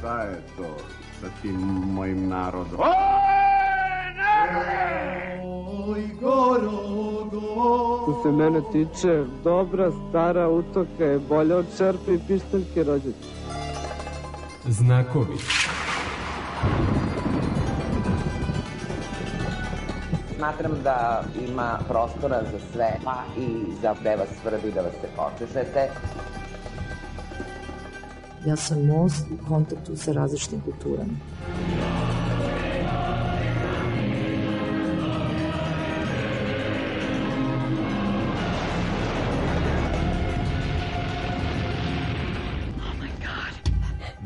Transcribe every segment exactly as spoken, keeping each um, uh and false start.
Šta je to sa tim mojim narodom? Oj, narode! Oj, gorogo! Što se mene tiče, dobra stara utoka je bolja od čerpe i pištaljke rođaka. Znakovi. Smatram da ima prostora za sve, pa i za gde vas svrbi da vas se počešete. Ja sam most u kontaktu sa različitim kulturama.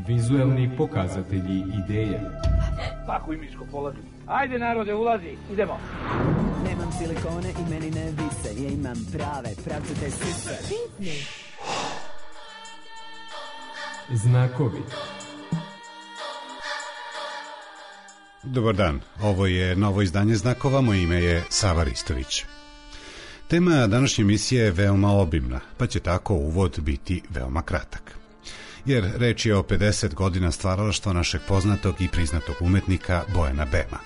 Vizuelni pokazatelji ideja. Pakuj Miško, polazi. Ajde narode, ulazi, idemo. Nemam silikone i meni ne vise, ja imam prave, pravcate sise. Pitni. Znakovi. Dobar dan, ovo je novo izdanje Znakova, moje ime je Sava Ristović. Tema današnje emisije je veoma obimna, pa će tako uvod biti veoma kratak. Jer reč je o pedeset godina stvaralaštva našeg poznatog i priznatog umetnika Bojana Bema.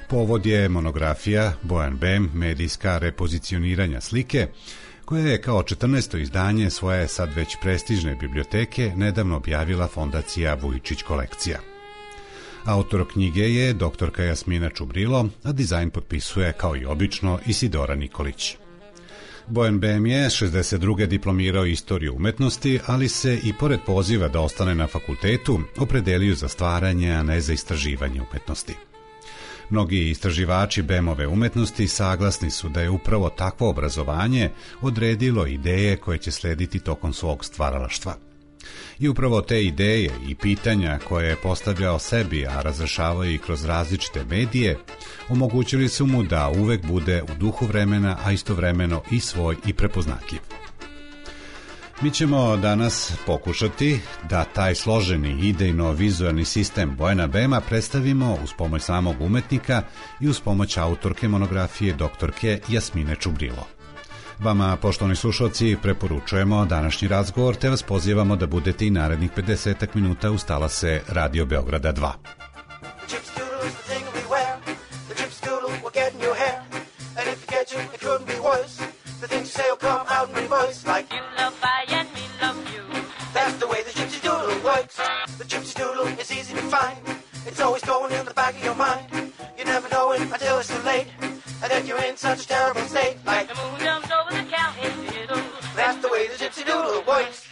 Povod je monografija Bojan Bem, medijska repozicioniranja slike, koja je kao četrnaesto izdanje svoje sad već prestižne biblioteke nedavno objavila fondacija Vujičić kolekcija. Autor knjige je doktorka Jasmina Čubrilo, a dizajn potpisuje kao i obično Isidora Nikolić. Bojan Bem je šezdeset druge diplomirao istoriju umetnosti, ali se i pored poziva da ostane na fakultetu opredelio za stvaranje, a ne za istraživanje umetnosti. Mnogi istraživači Bemove umetnosti saglasni su da je upravo takvo obrazovanje odredilo ideje koje će slediti tokom svog stvaralaštva. I upravo te ideje i pitanja koje je postavljao sebi, a razrešavao i kroz različite medije, omogućili su mu da uvek bude u duhu vremena, a istovremeno i svoj i prepoznatljiv. Mi ćemo danas pokušati da taj složeni idejno-vizualni sistem Bojana Bema predstavimo uz pomoć samog umetnika i uz pomoć autorke monografije doktorke Jasmine Čubrilo. Vama, poštovani slušalci, preporučujemo današnji razgovor, te vas pozivamo da budete i narednih pedeset minuta uz talase Radio Beograda dva. It's always going in the back of your mind. You never know it until it's too late. And then you're in such a terrible state. Like the moon jumps over the county fiddle. That's the way the gypsy doodle works.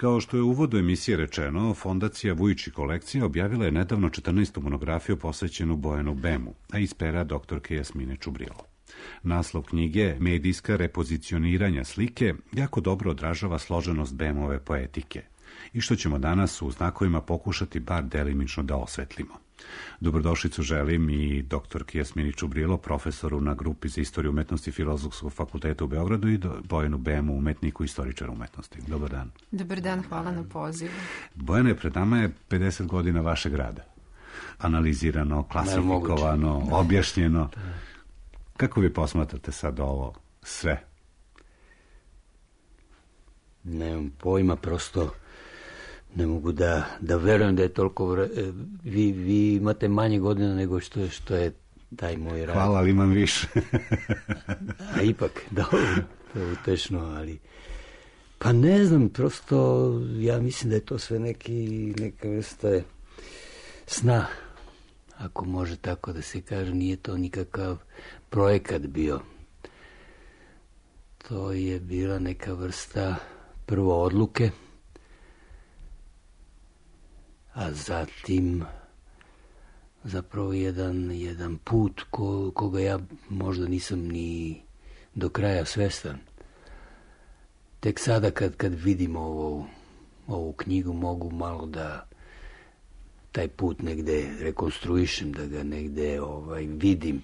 Kao što je u uvodu emisije rečeno, Fondacija Vujići kolekcija objavila je nedavno četrnaestu monografiju posvećenu Bojanu Bemu, a iz pera doktorke Jasmine Čubrilo. Naslov knjige, Medijska repozicioniranja slike, jako dobro odražava složenost Bemove poetike i što ćemo danas u znakovima pokušati bar delimično da osvetlimo. Dobrodošlicu želim i doktorki Jasmini Čubrilo, profesoru na grupi za istoriju umetnosti Filozofskog fakulteta u Beogradu, i Bojanu Bemu, umetniku i istoričaru umetnosti. Dobar dan. Dobar dan, hvala na pozivu. Bojane, pred nama je pedeset godina vašeg rada. Analizirano, klasifikovano, objašnjeno. Kako vi posmatrate sad ovo sve? Nemam pojma, prosto ne mogu da, da verujem da je toliko vre... vi, vi imate manje godina nego što je, što je taj moj rad. Hvala, ali imam više. A ipak, dobro, to je utešno, ali pa ne znam, prosto ja mislim da je to sve neki, neka vrsta sna, ako može tako da se kaže. Nije to nikakav projekat bio. To je bila neka vrsta prvo odluke, a zatim zapravo jedan, jedan put ko, koga ja možda nisam ni do kraja svestan. Tek sada kad, kad vidim ovu, ovu knjigu mogu malo da taj put negde rekonstruišem, da ga negde ovaj, vidim,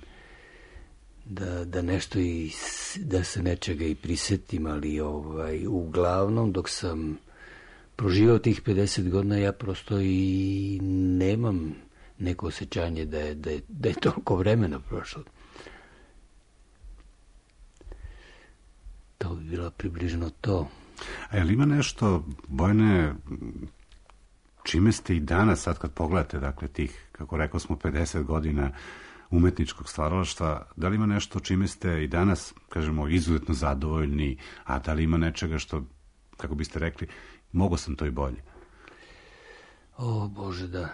da, da nešto i, da se nečega i prisetim, ali ovaj, uglavnom dok sam proživao tih pedeset godina, ja prosto i nemam neko osjećanje da je, da je, da je toliko vremena prošlo. To bi bilo približno to. A je li ima nešto, Bojane, čime ste i danas, sad kad pogledate, dakle, tih, kako rekao smo, pedeset godina umetničkog stvaralaštva, da li ima nešto čime ste i danas, kažemo, izuzetno zadovoljni, a da li ima nečega što, kako biste rekli, mogo sam to i bolje? O, Bože, da.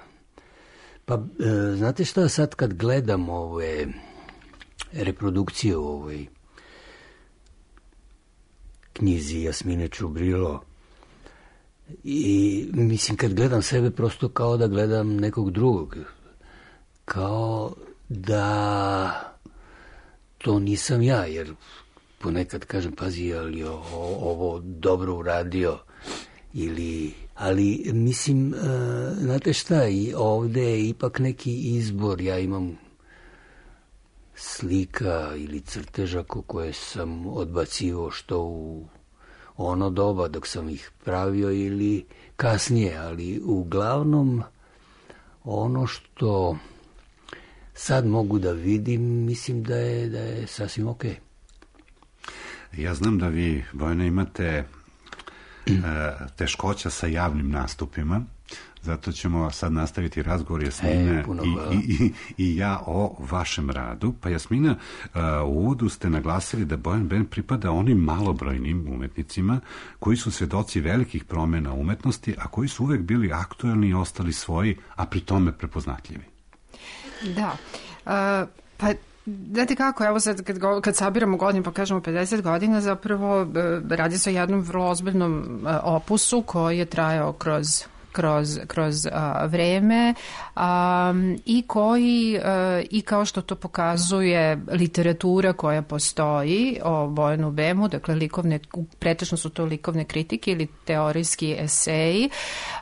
Pa, e, znate šta, sad kad gledam ove reprodukcije u ovoj knjizi Jasmine Čubrilo, i mislim, kad gledam sebe, prosto kao da gledam nekog drugog. Kao da to nisam ja, jer ponekad kažem, pazi, ali o, ovo dobro uradio, ili, ali mislim, uh, znate šta, i ovde je ipak neki izbor. Ja imam slika ili crteža koje sam odbacivo što u ono doba dok sam ih pravio ili kasnije, ali uglavnom ono što sad mogu da vidim, mislim da je, da je sasvim okej. Ja znam da vi, Bojana, imate teškoća sa javnim nastupima, zato ćemo sad nastaviti razgovor Jasmine e, i, i, i, i ja o vašem radu. Pa Jasmina, u uvodu ste naglasili da Bojan Ben pripada onim malobrojnim umetnicima koji su svedoci velikih promjena umetnosti, a koji su uvek bili aktuelni i ostali svoji, a pri tome prepoznatljivi. Da, uh, pa znate kako, evo sad kad, kad sabiramo godinu pa kažemo pedeset godina, zapravo radi se o jednom vrlo ozbiljnom opusu koji je trajao kroz kroz, kroz a, vreme a, i koji a, i kao što to pokazuje literatura koja postoji o Bojanu Bemu, dakle likovne, pretežno su to likovne kritike ili teorijski eseji,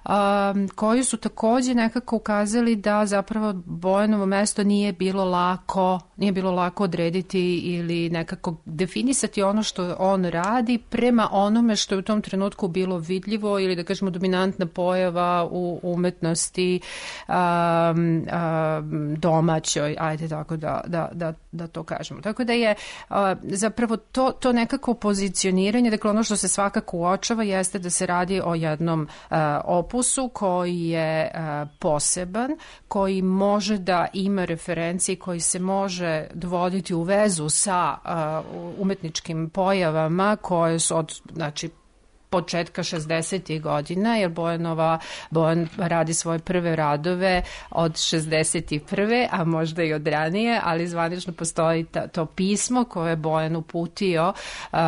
a, koji su takođe nekako ukazali da zapravo Bojanovo mesto nije bilo lako, nije bilo lako odrediti ili nekako definisati ono što on radi prema onome što je u tom trenutku bilo vidljivo ili da kažemo dominantna pojava u umetnosti um, um, domaćoj, ajde tako da, da, da, da to kažemo. Tako da je uh, zapravo to, to nekako pozicioniranje, dakle ono što se svakako uočava jeste da se radi o jednom uh, opusu koji je uh, poseban, koji može da ima referencije, koji se može dovoditi u vezu sa uh, umetničkim pojavama koje su od, znači, početka šezdesetih godina, jer Bojanova, Bojan radi svoje prve radove od šezdeset prve, a možda i od ranije, ali zvanično postoji ta, to pismo koje je Bojan uputio uh,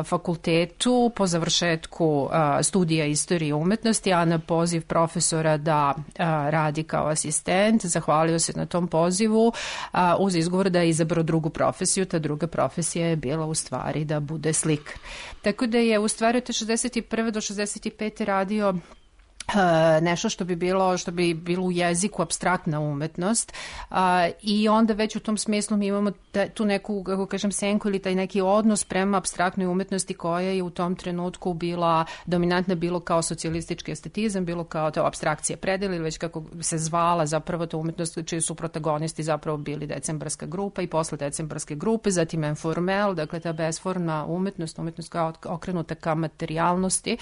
fakultetu po završetku uh, studija istorije umetnosti, a na poziv profesora da uh, radi kao asistent, zahvalio se na tom pozivu uh, uz izgovor da je izabrao drugu profesiju. Ta druga profesija je bila u stvari da bude slikar. Tako da je u stvari od šezdeset prve do šezdeset pete radio Uh, nešto što bi bilo što bi bilo u jeziku apstraktna umetnost uh, i onda već u tom smislu mi imamo ta, tu neku, kako kažem, senku ili taj neki odnos prema apstraktnoj umetnosti koja je u tom trenutku bila dominantna, bilo kao socijalistički estetizam, bilo kao to apstrakcija predela ili već kako se zvala zapravo ta umetnost čiji su protagonisti zapravo bili decembarska grupa i posle decembarske grupe, zatim informel, dakle ta besformna umetnost, umetnost kao okrenuta ka materijalnosti.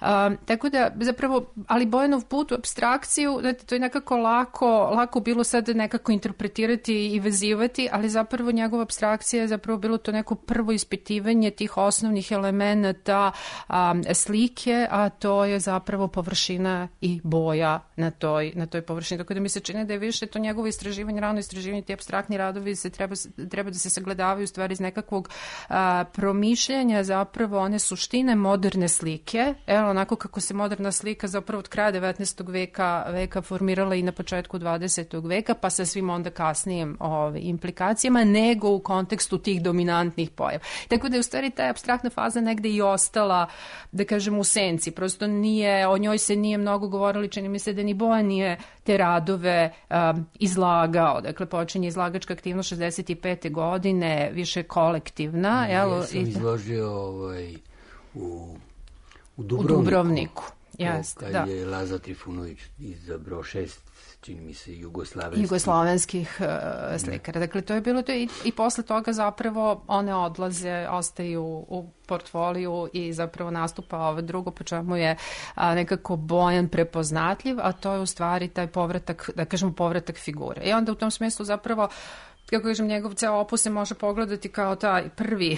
Uh, tako da zapravo ali Bojanov put u apstrakciju, znači, to je nekako lako, lako bilo sad nekako interpretirati i vezivati, ali zapravo njegova apstrakcija je zapravo bilo to neko prvo ispitivanje tih osnovnih elemenata um, slike, a to je zapravo površina i boja na toj, na toj površini. Tako da mi se čini da je više to njegovo istraživanje, rano istraživanje, ti apstraktni radovi se treba, treba da se sagledavaju u stvari iz nekakvog uh, promišljanja zapravo one suštine moderne slike, evo onako kako se moderna slika zapravo od kraja devetnaestog veka, veka formirala i na početku dvadesetog veka, pa sa svim onda kasnijim ove, implikacijama, nego u kontekstu tih dominantnih pojava. Tako da je u stvari ta apstraktna faza negde i ostala, da kažem, u senci. Prosto nije, o njoj se nije mnogo govorili, čini mi se da ni Bojan nije te radove um, izlagao. Dakle, počinje izlagačka aktivnost šezdeset pete godine, više kolektivna. Ja jel, sam i... izložio ovaj, u, u Dubrovniku. U Dubrovniku. Jest, kad da. je Laza Trifunović izabrao šest, čini mi se, jugoslavenskih, jugoslavenskih uh, slikara. Dakle, to je bilo to i, i posle toga zapravo one odlaze, ostaju u portfoliju i zapravo nastupa ovo drugo, po čemu je a, nekako Bojan prepoznatljiv, a to je u stvari taj povratak, da kažemo povratak figure. I onda u tom smislu zapravo, kako kažem, njegov ceo opus se može pogledati kao taj prvi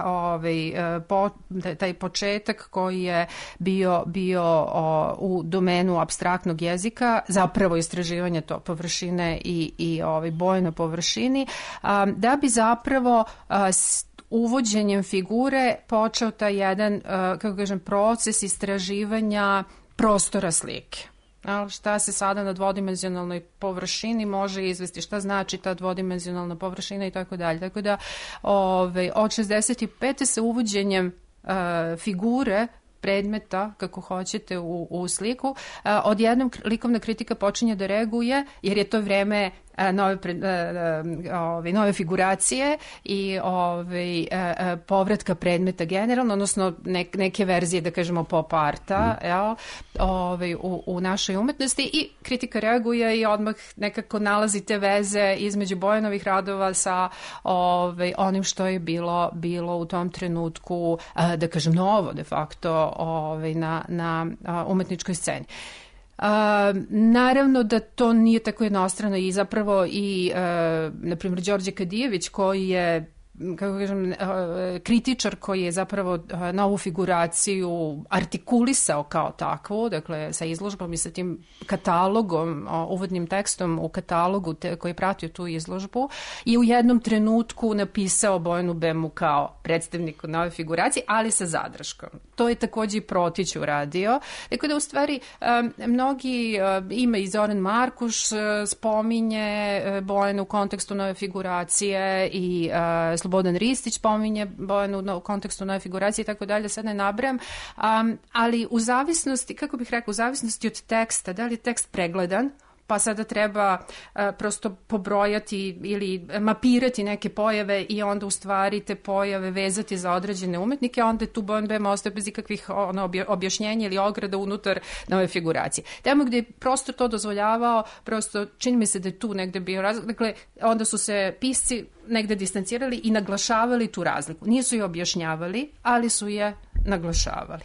ovaj, po, taj početak koji je bio, bio o, u domenu apstraktnog jezika, zapravo istraživanje to površine i, i ovaj, boje na površini, a, da bi zapravo a, s, uvođenjem figure počeo taj jedan, kako kažem, proces istraživanja prostora slike. Ali šta se sada na dvodimenzionalnoj površini može izvesti, šta znači ta dvodimenzionalna površina i tako dalje. Tako da ove, od šezdeset pete sa uvođenjem uh, figure predmeta, kako hoćete, u, u sliku, a, odjednom likovna kritika počinje da reaguje, jer je to vreme a, nove, a, a, ove, nove figuracije i ove, a, a, povratka predmeta generalno, odnosno nek, neke verzije, da kažemo, pop arta mm. jel, ove, u, u našoj umetnosti, i kritika reaguje i odmah nekako nalazi te veze između Bojanovih radova sa ove, onim što je bilo, bilo u tom trenutku, a, da kažem, novo de facto Ovaj, na, na a, umetničkoj sceni. A, naravno da to nije tako jednostrano i zapravo i, a, na primjer, Đorđe Kadijević, koji je, kako kažem, kritičar koji je zapravo novu figuraciju artikulisao kao takvu, dakle sa izložbom i sa tim katalogom, uvodnim tekstom u katalogu te, koji je pratio tu izložbu, i u jednom trenutku napisao Bojanu Bemu kao predstavniku nove figuracije, ali sa zadrškom. To je takođe i Protić uradio. Tako da u stvari mnogi, ima i Zoran Markuš spominje Bojanu u kontekstu nove figuracije i Slobodan Ristić pominje Bojanu u kontekstu nove figuracije i tako dalje, sad ne nabrajam, um, ali u zavisnosti, kako bih rekla, u zavisnosti od teksta, da li je tekst pregledan, pa sada treba uh, prosto pobrojati ili mapirati neke pojave i onda u stvari te pojave vezati za određene umetnike, a onda tu Bojan Bema ostaje bez ikakvih ono, objašnjenja ili ograda unutar nove figuracije. Tamo gde je prosto to dozvoljavao, prosto čini mi se da je tu negde bio razlog, dakle onda su se pisci negde distancirali i naglašavali tu razliku. Nisu je objašnjavali, ali su je naglašavali.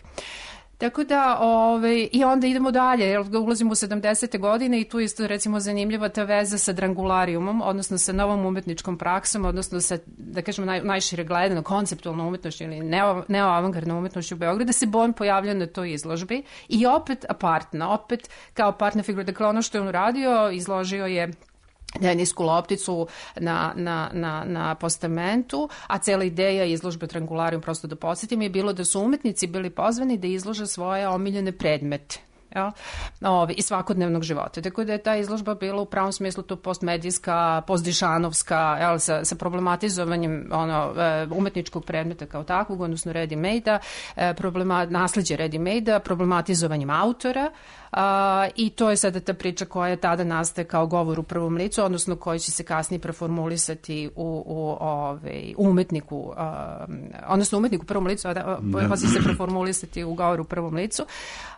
Tako da, ove, i onda idemo dalje, jer ulazimo u sedamdesete godine i tu isto recimo zanimljiva ta veza sa Drangularijumom, odnosno sa novom umetničkom praksom, odnosno sa, da kažemo, naj, najšire gledano, konceptualnom umetnošću ili neo, neoavangardnom umetnošću u Beogradu, da se Bojan pojavlja na toj izložbi i opet apartna, opet kao partner figura. Dakle, ono što je on uradio, izložio je tenisku lopticu na, na, na, na postamentu, a cela ideja izložbe Drangularijum, prosto da podsjetim, je bilo da su umetnici bili pozvani da izlože svoje omiljene predmete. Ja, Ovi, i svakodnevnog života. Tako da je ta izložba bila u pravom smislu to postmedijska, postdišanovska, jel, sa, sa problematizovanjem ono, umetničkog predmeta kao takvog, odnosno ready-made-a, problema, nasljeđe ready-made-a, problematizovanjem autora, a, i to je sada ta priča koja je tada nastaje kao govor u prvom licu, odnosno koji će se kasnije preformulisati u, u ovaj, umetniku, a, odnosno umetniku u prvom licu, a da, pa će se preformulisati u govor u prvom licu.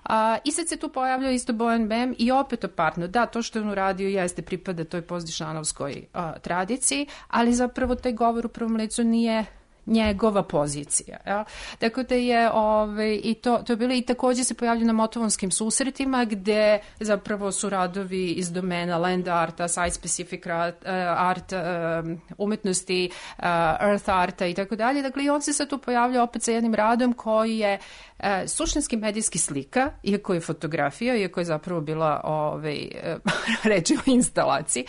A, I sad se tu pojavljao isto Bojan Bem i opet apartno. Da, to što je on uradio jeste pripada toj postdišanovskoj a, tradiciji, ali zapravo taj govor u prvom licu nije njegova pozicija. Ja? Tako da je ove, i to, to je bilo i takođe se pojavljaju na motovonskim susretima gde zapravo su radovi iz domena land arta, site specific art, art umetnosti, earth arta i tako dalje. Dakle, i on se sad tu pojavlja opet sa jednim radom koji je E, suštinski medijski slika, iako je fotografija, iako je zapravo bila ovaj, reč o instalaciji,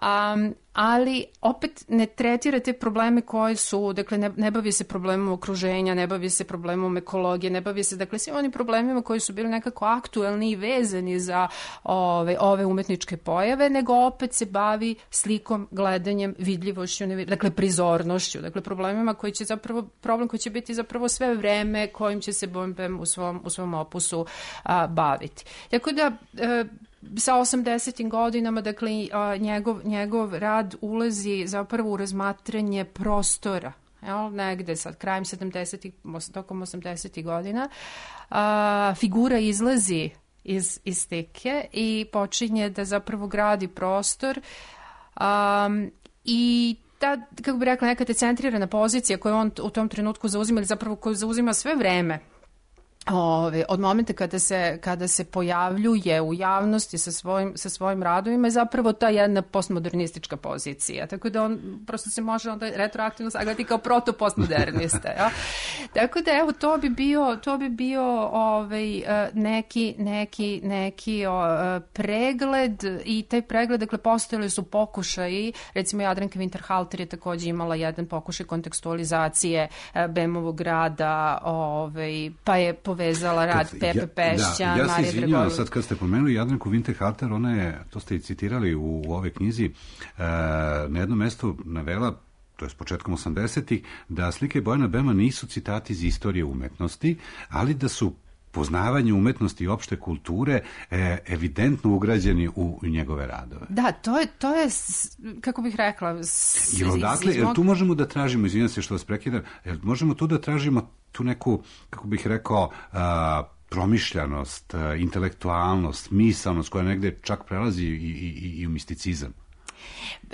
um, ali opet ne tretira te probleme koje su, dakle ne, ne bavi se problemom okruženja, ne bavi se problemom ekologije, ne bavi se, dakle, svim onim problemima koji su bili nekako aktuelni i vezani za ove, ove umetničke pojave, nego opet se bavi slikom, gledanjem, vidljivošću, dakle prizornošću, dakle problemima koji će zapravo, problem koji će biti zapravo sve vreme kojim će se Bojan Bem u svom, u svom opusu a, baviti. Tako da e, sa osamdesetim godinama, dakle, a, njegov, njegov rad ulazi zapravo u razmatranje prostora. Jel, negde sad, krajem sedamdesetih, tokom osamdesetih godina, a, figura izlazi iz, iz slike i počinje da zapravo gradi prostor a, i ta, kako bi rekla, neka decentrirana pozicija koju on u tom trenutku zauzima, ili zapravo koju zauzima sve vreme, Ove, od momenta kada se, kada se pojavljuje u javnosti sa svojim, sa svojim radovima je zapravo ta jedna postmodernistička pozicija. Tako da on prosto se može onda retroaktivno sagledati kao proto-postmodernista. Ja? Tako da evo, to bi bio, to bi bio ovaj, neki, neki, neki o, pregled i taj pregled, dakle, postojali su pokušaji, recimo Jadranka Winterhalter je takođe imala jedan pokušaj kontekstualizacije Bemovog rada, ovaj, pa je povezala rad kad, Pepe Pešća, ja, da, ja Marije se izvinjavam sad kad ste pomenuli Jadranku Winterhalter, ona je, to ste i citirali u, u ove knjizi, e, na jednom mestu navela, to je s početkom osamdesetih, da slike Bojana Bema nisu citati iz istorije umetnosti, ali da su poznavanje umetnosti i opšte kulture e, evidentno ugrađeni u, u njegove radove. Da, to je, to je kako bih rekla... S, jer odakle, jer tu možemo da tražimo, izvinjam se što vas prekidam, jer možemo tu da tražimo tu neku, kako bih rekao, a, promišljanost, a, intelektualnost, misalnost koja negde čak prelazi i, i, i u misticizam.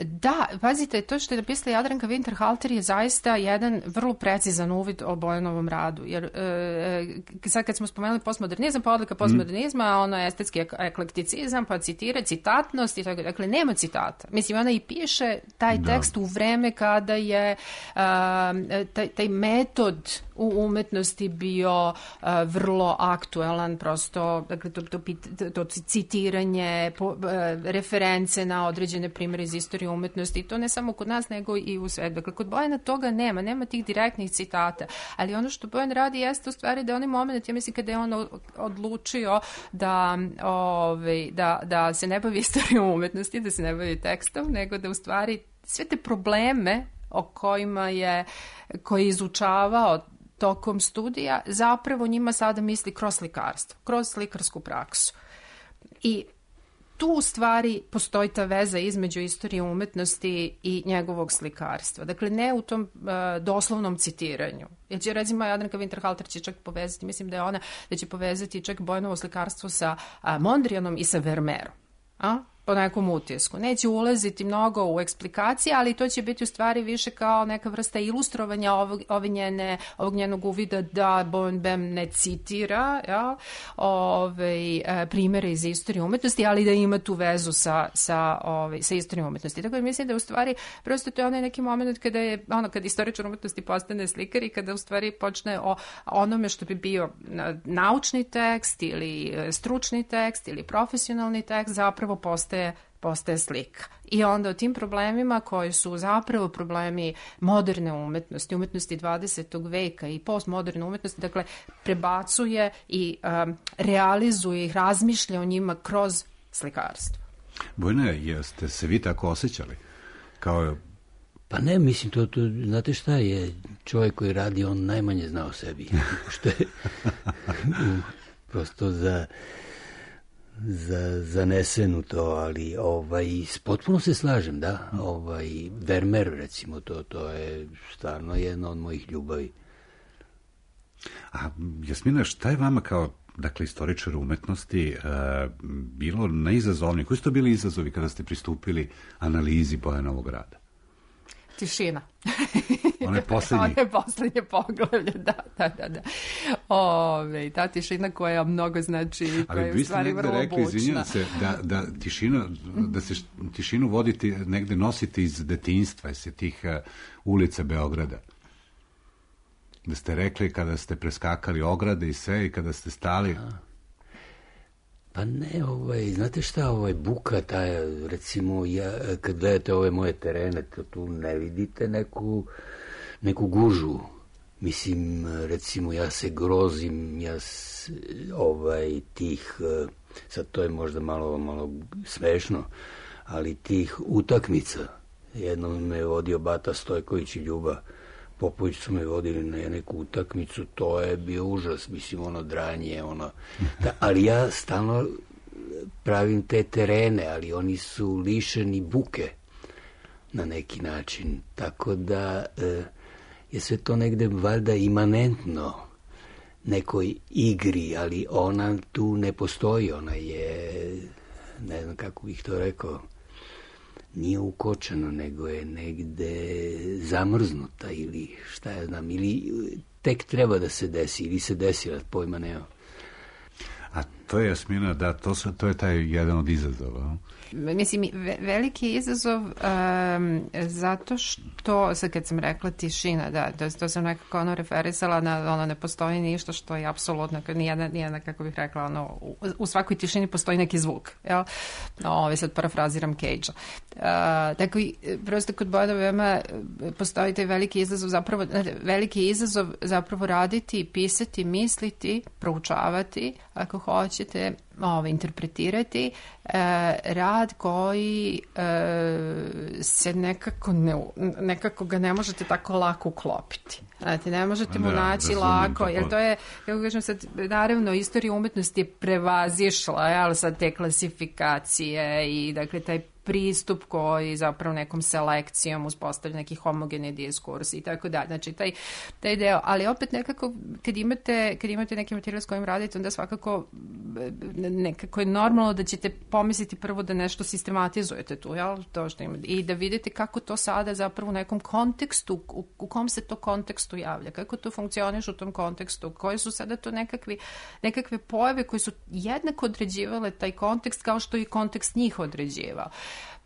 Da, pazite, to što je napisala Jadranka Winterhalter je zaista jedan vrlo precizan uvid o Bojanovom radu, jer e, sad kad smo spomenuli postmodernizam, pa odlika postmodernizma, mm. ono je estetski eklekticizam, pa citira, citatnost i tako, dakle, nema citata. Mislim, ona i piše taj da. tekst u vreme kada je a, taj, taj metod u umetnosti bio a, vrlo aktuelan, prosto, dakle, to, to, to, to citiranje, po, a, reference na određene primere iz istorije umetnosti, i to ne samo kod nas, nego i u svetu. Dakle, kod Bojana toga nema, nema tih direktnih citata, ali ono što Bojan radi jeste u stvari da onaj moment, ja mislim kada je on odlučio da, ovaj, da, da se ne bavi istorijom umetnosti, da se ne bavi tekstom, nego da u stvari sve te probleme o kojima je, koji je izučavao tokom studija, zapravo njima sada misli kroz slikarstvo, kroz slikarsku praksu. I tu u stvari postoji ta veza između istorije umetnosti i njegovog slikarstva. Dakle, ne u tom uh, doslovnom citiranju. Jer će, recimo, Jadranka Winterhalter će čak povezati, mislim da je ona, da će povezati čak Bojanovo slikarstvo sa uh, Mondrianom i sa Vermeerom. A? po nekom utisku. Neće ulaziti mnogo u eksplikacije, ali to će biti u stvari više kao neka vrsta ilustrovanja ovog, ove njene, ovog njenog uvida da Bojan Bem ne citira ja, ove, primere iz istorije umetnosti, ali da ima tu vezu sa, sa, ove, sa istorijom umetnosti. Tako da mislim da u stvari prosto to je onaj neki moment kada je, ono, kada istoričar umetnosti postane slikar i kada u stvari počne o onome što bi bio naučni tekst ili stručni tekst ili profesionalni tekst zapravo postaje postaje slika. I onda o tim problemima koji su zapravo problemi moderne umetnosti, umetnosti dvadesetog veka i postmoderne umetnosti, dakle, prebacuje i um, realizuje ih, razmišlja o njima kroz slikarstvo. Bojana, jeste se vi tako osjećali? Kao... Pa ne, mislim, to, to, znate šta je, čovjek koji radi, on najmanje zna o sebi. Što je prosto za... za zanesenu to, ali ovaj, potpuno se slažem, da, ovaj, Vermeer, recimo, to, to je stvarno jedna od mojih ljubavi. A Jasmina, šta je vama kao, dakle, istoričar umetnosti uh, bilo najizazovnije? Koji su to bili izazovi kada ste pristupili analizi Bojanovog rada? Tišina. One poslednje. One poslednje poglavlje, da, da, da. da. Ove, ta tišina koja mnogo znači, koja je u stvari vrlo bučna. Ali vi ste negde rekli, izvinjam se, da, da, tišina, da se tišinu voditi, negde nositi iz detinjstva, iz tih uh, ulica Beograda. Da ste rekli kada ste preskakali ograde i sve i kada ste stali... A. Pa ne, ovaj, znate šta, ovaj, buka, ta, recimo, ja, kad gledate ove moje terene, to tu ne vidite neku, neku gužu. Mislim, recimo, ja se grozim, ja s, ovaj, tih, sad to je možda malo, malo smešno, ali tih utakmica. Jednom me je vodio Bata Stojković i Ljuba Popović, su me vodili na neku utakmicu, to je bio užas, mislim, ono dranje, ono, da, ali ja stalno pravim te terene, ali oni su lišeni buke na neki način, tako da e, je sve to negde valjda imanentno nekoj igri, ali ona tu ne postoji, ona je, ne znam kako bih to rekao, nije ukočeno, nego je negde zamrznuta ili šta ja znam, ili tek treba da se desi, ili se desila, pojma nema. A to je, Jasmina, da, to, su, to je taj jedan od izazova. Mislim, veliki izazov um, zato što, sad kad sam rekla tišina, da, to, to sam nekako ono referisala na ono ne postoji ništa što je apsolutno, nijedna, nijedna, kako bih rekla, ono, u, u svakoj tišini postoji neki zvuk, jel? Ovo, sad parafraziram Cage-a. Uh, tako i, prosto kod Bojana Bema postoji taj veliki izazov, zapravo, veliki izazov zapravo raditi, pisati, misliti, proučavati, ako hoćete, ovo, interpretirati e, rad koji e, se nekako ne, nekako ga ne možete tako lako uklopiti. Znate, ne možete mu naći da, lako, to, jer to je, kako kažem sad, naravno, istorija umetnosti je prevazišla, jel, sad te klasifikacije i, dakle, taj pristup koji zapravo nekom selekcijom uspostavlja neki homogeni diskurs i tako dalje. Znači, taj, taj deo, ali opet nekako, kad imate, kad imate neki materijal s kojim radite, onda svakako nekako je normalno da ćete pomisliti prvo da nešto sistematizujete tu, jel? To što imate. I da vidite kako to sada zapravo u nekom kontekstu, u, u kom se to kontekstu javlja, kako to funkcioniš u tom kontekstu, koje su sada to nekakvi, nekakve pojave koje su jednako određivale taj kontekst kao što i kontekst njih određivao.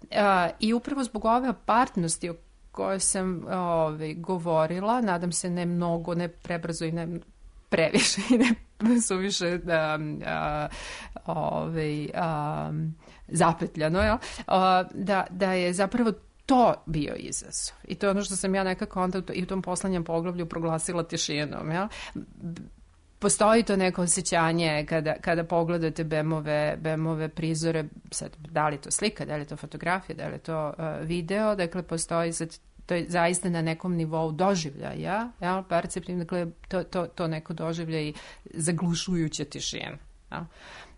Uh, I upravo zbog ove apartnosti o kojoj sam ove, govorila, nadam se ne mnogo, ne prebrzo i ne previše i ne suviše da, uh, ove, um, zapetljano, ja? uh, da, da je zapravo to bio izazov. I to je ono što sam ja nekako onda i u tom poslednjem poglavlju proglasila tišinom. Ja? Postoji to neko osjećanje kada, kada pogledate Bemove, Bemove prizore, sad, da li je to slika, da li je to fotografija, da li je to uh, video, dakle postoji sad, to je zaista na nekom nivou doživljaja, ja, perceptivno, dakle to, to, to neko doživlja i zaglušujuća tišina. Ja.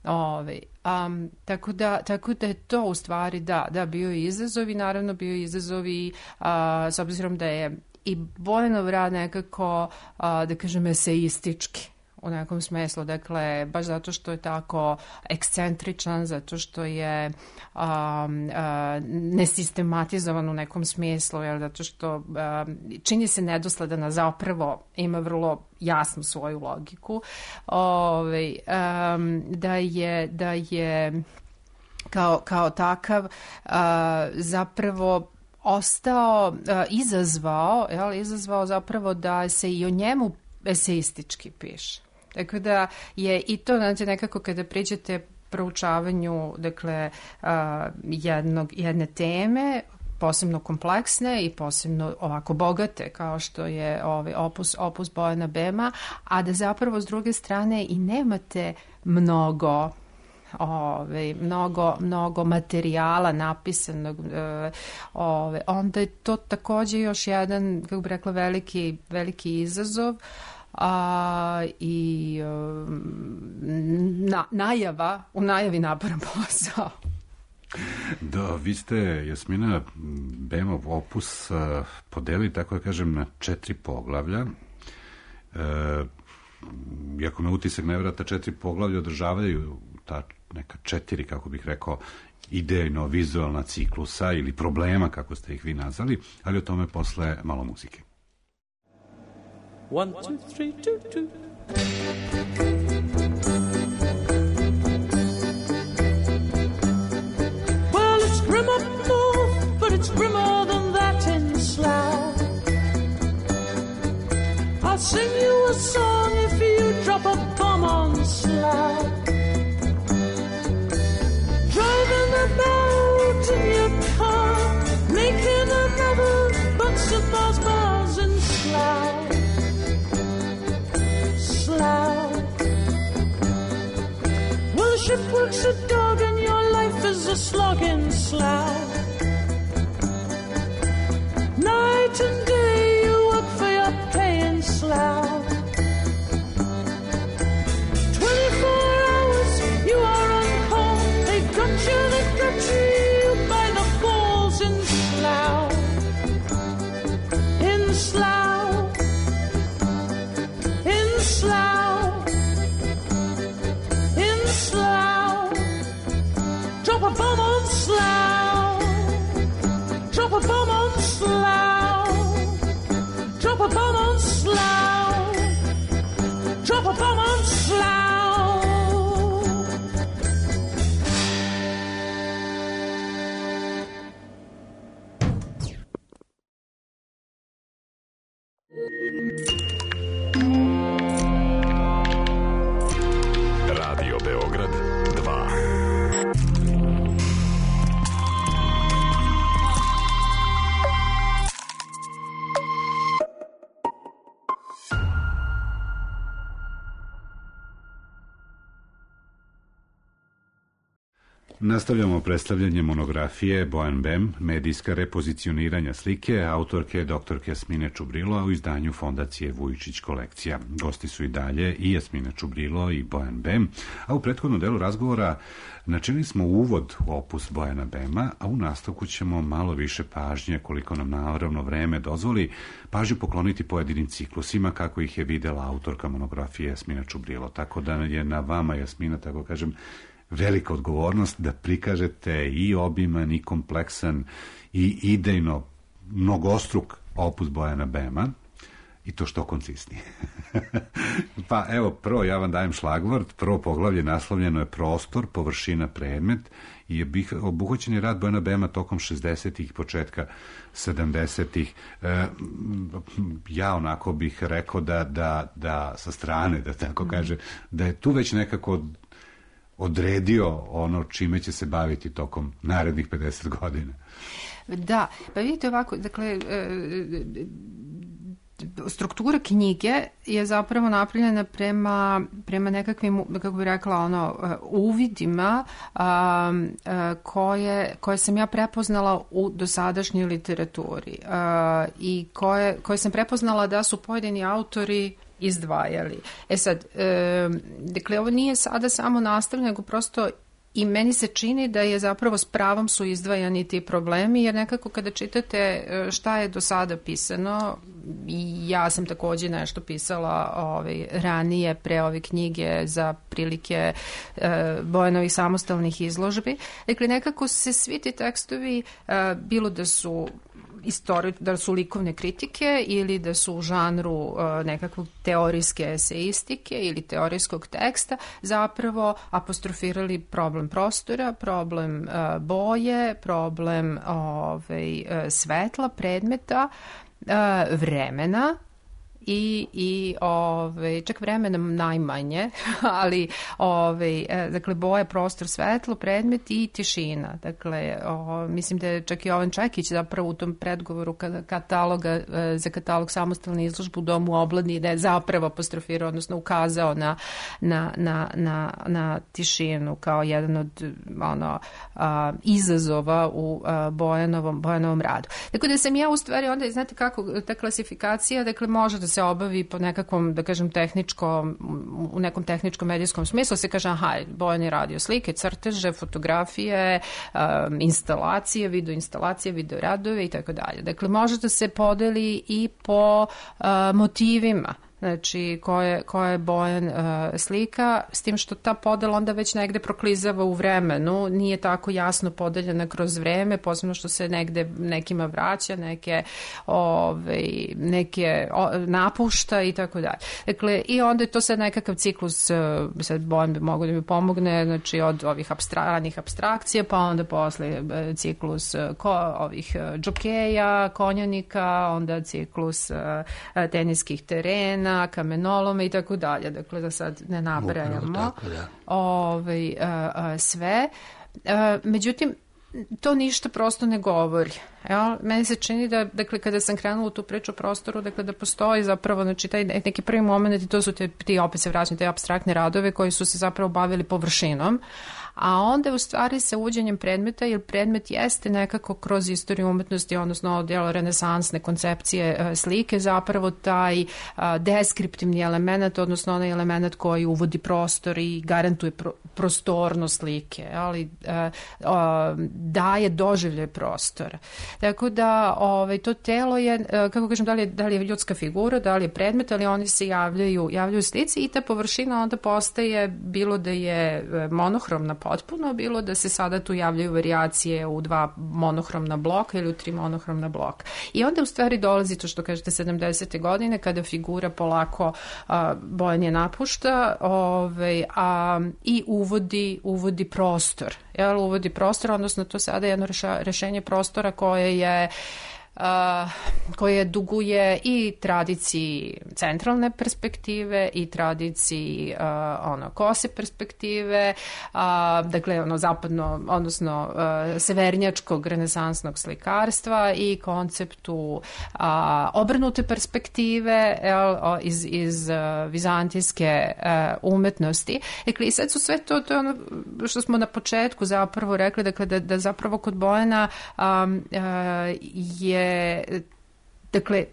Ove, um, tako, da, tako da je to u stvari, da, da bio je izazov i naravno bio je izazov i uh, s obzirom da je i Bojanov rad nekako, uh, da kažem, eseistički u nekom smislu, dakle, baš zato što je tako ekscentričan, zato što je um, uh, nesistematizovan u nekom smislu, jel, zato što um, čini se nedosledan, a zapravo ima vrlo jasnu svoju logiku, Ove, um, da je, da je kao, kao takav uh, zapravo ostao, uh, izazvao, jel, izazvao zapravo da se i o njemu eseistički piše. Tako da je i to, znači, nekako kada priđete proučavanju, dakle, uh, jednog, jedne teme, posebno kompleksne i posebno ovako bogate kao što je ovaj opus, opus Bojana Bema, a da zapravo s druge strane i nemate mnogo Ove, mnogo, mnogo materijala napisanog, ove, onda je to takođe još jedan, kako bih rekla, veliki, veliki izazov, a, i na, najava, u najavi naporan posao. Da, vi ste, Jasmina, Bemov opus podeli, tako da kažem, na četiri poglavlja. E, iako me utisak ne vrata, četiri poglavlja održavaju ta neka četiri, kako bih rekao, idejno-vizualna ciklusa ili problema, kako ste ih vi nazvali, ali o tome posle malo muzike. One, two, three, two, two. Well, it's grim up north, but it's grimmer than that in Slough. I'll sing you a song if you drop a bomb on Slough. Driving about in your car, making another bunch of bars, bars in Slough. Slough. Well, the shipwork's a dog and your life is a slog in Slough. Night and day you work for your pay in Slough. Twenty-four hours you are on call. They got you, they got you by the balls in Slough. In Slough. In Slough. In Slough. Drop a bomb on Slough. Drop a bomb on Slough. Drop a bomb on Slough. Drop a bomb on Slough. Radio Beograd dva. Nastavljamo predstavljanje monografije Bojan Bem, medijska repozicioniranja slike, autorke doktorke Jasmine Čubrilo, a u izdanju Fondacije Vujičić kolekcija. Gosti su i dalje i Jasmina Čubrilo i Bojan Bem, a u prethodnom delu razgovora načinili smo uvod u opus Bojana Bema, a u nastavku ćemo malo više pažnje, koliko nam naravno vreme dozvoli, pažnju pokloniti pojedinim ciklusima kako ih je videla autorka monografije Jasmina Čubrilo. Tako da je na vama, Jasmina, tako kažem, velika odgovornost da prikažete i obiman i kompleksan i idejno mnogostruk opus Bojana Bema i to što koncisnije. Pa evo, prvo ja vam dajem šlagvort, prvo poglavlje naslovljeno je prostor, površina, predmet i je obuhvaćen je rad Bojana Bema tokom šezdesetih i početka sedamdesetih. E, ja onako bih rekao da, da, da sa strane, da tako kaže, da je tu već nekako odredio ono čime će se baviti tokom narednih pedeset godina. Da, pa vidite ovako, dakle, struktura knjige je zapravo napravljena prema, prema nekakvim, kako bih rekla, ono, uvidima a, a, koje, koje sam ja prepoznala u dosadašnjoj literaturi a, i koje, koje sam prepoznala da su pojedini autori izdvajali. E sad, e, dakle, ovo nije sada samo nastavljeno, nego prosto I meni se čini da je zapravo s pravom su izdvajani ti problemi, jer nekako kada čitate šta je do sada pisano, i ja sam takođe nešto pisala ovaj, ranije pre ove knjige za prilike e, Bojanovih samostalnih izložbi, dakle nekako se svi ti tekstovi, e, bilo da su Istori, da su likovne kritike ili da su u žanru uh, nekakvog teorijske eseistike ili teorijskog teksta, zapravo apostrofirali problem prostora, problem uh, boje, problem ovaj, uh, svetla, predmeta, uh, vremena, i, i ove, čak vremenom najmanje, ali ove, dakle, boja, prostor, svetlo, predmet i tišina. Dakle, o, mislim da je čak i Jovan Čekić zapravo u tom predgovoru kataloga, za katalog samostalne izložbe u Domu obladni, da je zapravo apostrofirao, odnosno ukazao na, na, na, na, na tišinu kao jedan od ono, a, izazova u a, Bojanovom, Bojanovom radu. Dakle, da sam ja u stvari onda, znate kako, ta klasifikacija, dakle, može da se obavi po nekakvom, da kažem, tehničkom, u nekom tehničkom medijskom smislu, se kaže, aha, Bojan je radio slike, crteže, fotografije, um, instalacije, video instalacije, video radove i tako dalje. Dakle, može da se podeli i po uh, motivima, znači koje, koje je Bojan uh, slika, s tim što ta podela onda već negde proklizava u vremenu, nije tako jasno podeljena kroz vreme, posebno što se negde nekima vraća, neke, ove, neke o, napušta i tako dalje. Dakle, i onda je to sad nekakav ciklus, uh, sad Bojan bi mogo da mi pomogne, znači od ovih abstranih abstrakcija, pa onda posle uh, ciklus uh, ko, ovih uh, džokeja, konjanika, onda ciklus uh, teniskih terena, kamenolome i tako dalje. Dakle, da sad ne nabrajamo tako, da. Ove, a, a, sve. A, međutim, to ništa prosto ne govori. Jel? Meni se čini da, dakle, kada sam krenula u tu priču o prostoru, dakle, da postoji zapravo, znači, taj neki prvi moment, i to su te, ti, opet se vraćam, te abstraktne radove koji su se zapravo bavili površinom, a onda u stvari sa uvođenjem predmeta, jer predmet jeste nekako kroz istoriju umetnosti, odnosno djelo renesansne koncepcije e, slike, zapravo taj a, deskriptivni element, odnosno onaj element koji uvodi prostor i garantuje pro, prostornost slike, ali a, a, daje doživljaj prostora. Tako da ovaj, to telo je, kako kažem, da li je, da li je ljudska figura, da li je predmet, ali oni se javljaju, javljaju slici i ta površina onda postaje, bilo da je monohromna potpuno, bilo da se sada tu javljaju varijacije u dva monohromna bloka ili u tri monohromna bloka. I onda u stvari dolazi to što kažete sedamdesete godine, kada figura polako a, Bojan je napušta ovaj, a, i uvodi, uvodi prostor. Jel, uvodi prostor, odnosno to sada je jedno reša, rešenje prostora koje je Uh, koje duguje i tradiciji centralne perspektive i tradiciji uh, ono kose perspektive, uh, dakle ono zapadno, odnosno uh, severnjačkog renesansnog slikarstva i konceptu uh, obrnute perspektive jel, iz, iz uh, vizantijske uh, umetnosti. Dakle, i sad su sve to, to je ono što smo na početku zapravo rekli, dakle, da, da zapravo kod Bojana um, uh, je dakle,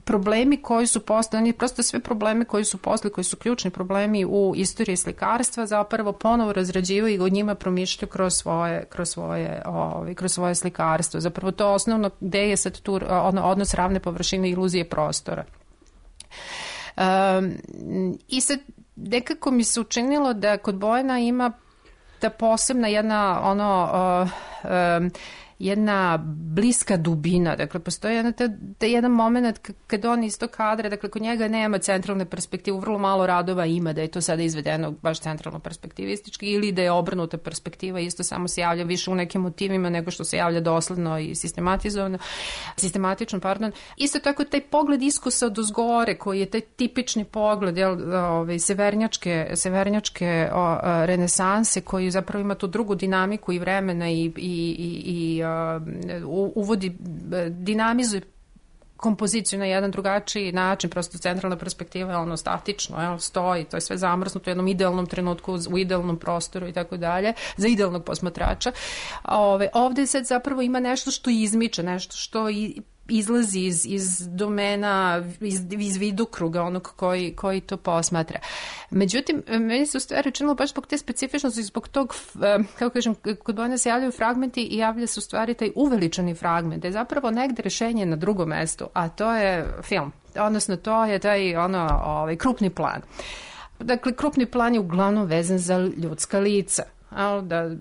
problemi koji su postali, prosto sve probleme koji su posle, koji su ključni problemi u istoriji slikarstva, zapravo ponovo razrađivaju i od njima promišljaju kroz svoje, kroz svoje, ovaj, kroz svoje slikarstvo. Zapravo to osnovno gde je sad tu ono, odnos ravne površine i iluzije prostora. Um, I sad nekako mi se učinilo da kod Bojana ima ta posebna jedna ono uh, um, jedna bliska dubina, dakle postoji jedna, ta, ta jedan moment kad on iz tog kadra, dakle kod njega nema centralne perspektive, vrlo malo radova ima da je to sada izvedeno baš centralno perspektivistički ili da je obrnuta perspektiva, isto samo se javlja više u nekim motivima nego što se javlja dosledno i sistematizovano, sistematično, pardon. Isto tako taj pogled iskusa od ozgore koji je taj tipični pogled jel, ove, severnjačke, severnjačke o, renesanse koji zapravo ima tu drugu dinamiku i vremena i, i, i, i uvodi, dinamizuje kompoziciju na jedan drugačiji način, prosto centralna perspektiva je ono statično, jel, stoji, to je sve zamrznuto u jednom idealnom trenutku, u idealnom prostoru i tako dalje, za idealnog posmatrača. Ove, ovde sad zapravo ima nešto što izmiče, nešto što i izlazi iz, iz domena, iz, iz vidokruga onog koji, koji to posmatra. Međutim, meni se u stvari učinilo baš zbog te specifičnosti, zbog tog, kako kažem, kod Bojana se javljaju fragmenti i javlja se u stvari taj uveličani fragment, da je zapravo negde rešenje na drugom mestu, a to je film. Odnosno, to je taj ono, ovaj, krupni plan. Dakle, krupni plan je uglavnom vezan za ljudska lica. Da, uh,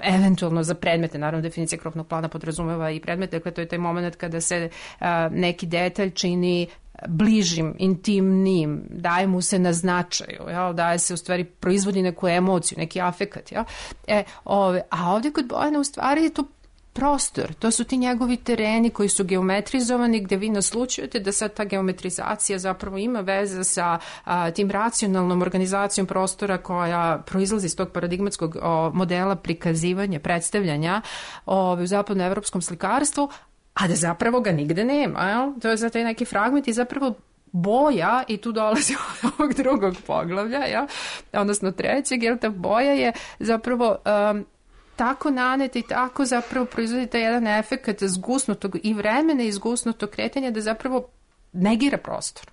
eventualno za predmete, naravno definicija krupnog plana podrazumeva i predmete, dakle to je taj moment kada se uh, neki detalj čini bližim, intimnim, daje mu se na značaju, jel? Daje se u stvari, proizvodi neku emociju, neki afekat. Jel? E, ove, a ovdje kod Bojana u stvari je to prostor, to su ti njegovi tereni koji su geometrizovani, gde vi naslučujete da sad ta geometrizacija zapravo ima veze sa a, tim racionalnom organizacijom prostora koja proizlazi iz tog paradigmatskog o, modela prikazivanja, predstavljanja o, u zapadnoevropskom slikarstvu, a da zapravo ga nigde nema. Jel? To je za taj neki fragment i zapravo boja, i tu dolazi od ovog drugog poglavlja, jel? Odnosno trećeg, jer ta boja je zapravo um, tako nanete i tako zapravo proizvodi taj jedan efekt zgusnutog i vremena i zgusnutog kretanja da zapravo negira prostor.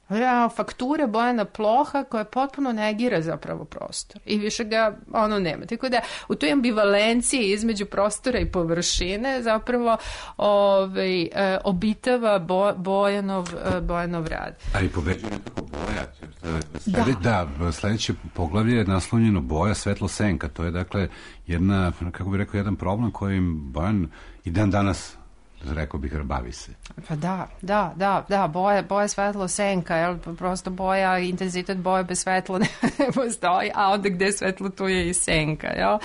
Ja, faktura Bojana Ploha koja potpuno negira zapravo prostor i više ga ono nema. Tako da u toj ambivalenciji između prostora i površine zapravo ovaj, e, obitava Bo, Bojanov, e, Bojanov rad. A i pobeđuje nekako boja. Slede, da. da, sledeće poglavlje je naslovljeno boja, svetlo, senka. To je dakle jedna, kako bih rekao, jedan problem kojim Bojan i dan danas, rekao bih, bavi se. Pa da, da, da, da, boja, boja, svetlo, senka, jel, prosto boja, intenzitet boje bez svetla ne postoji, a onda gde je svetlo tu je i senka, jel.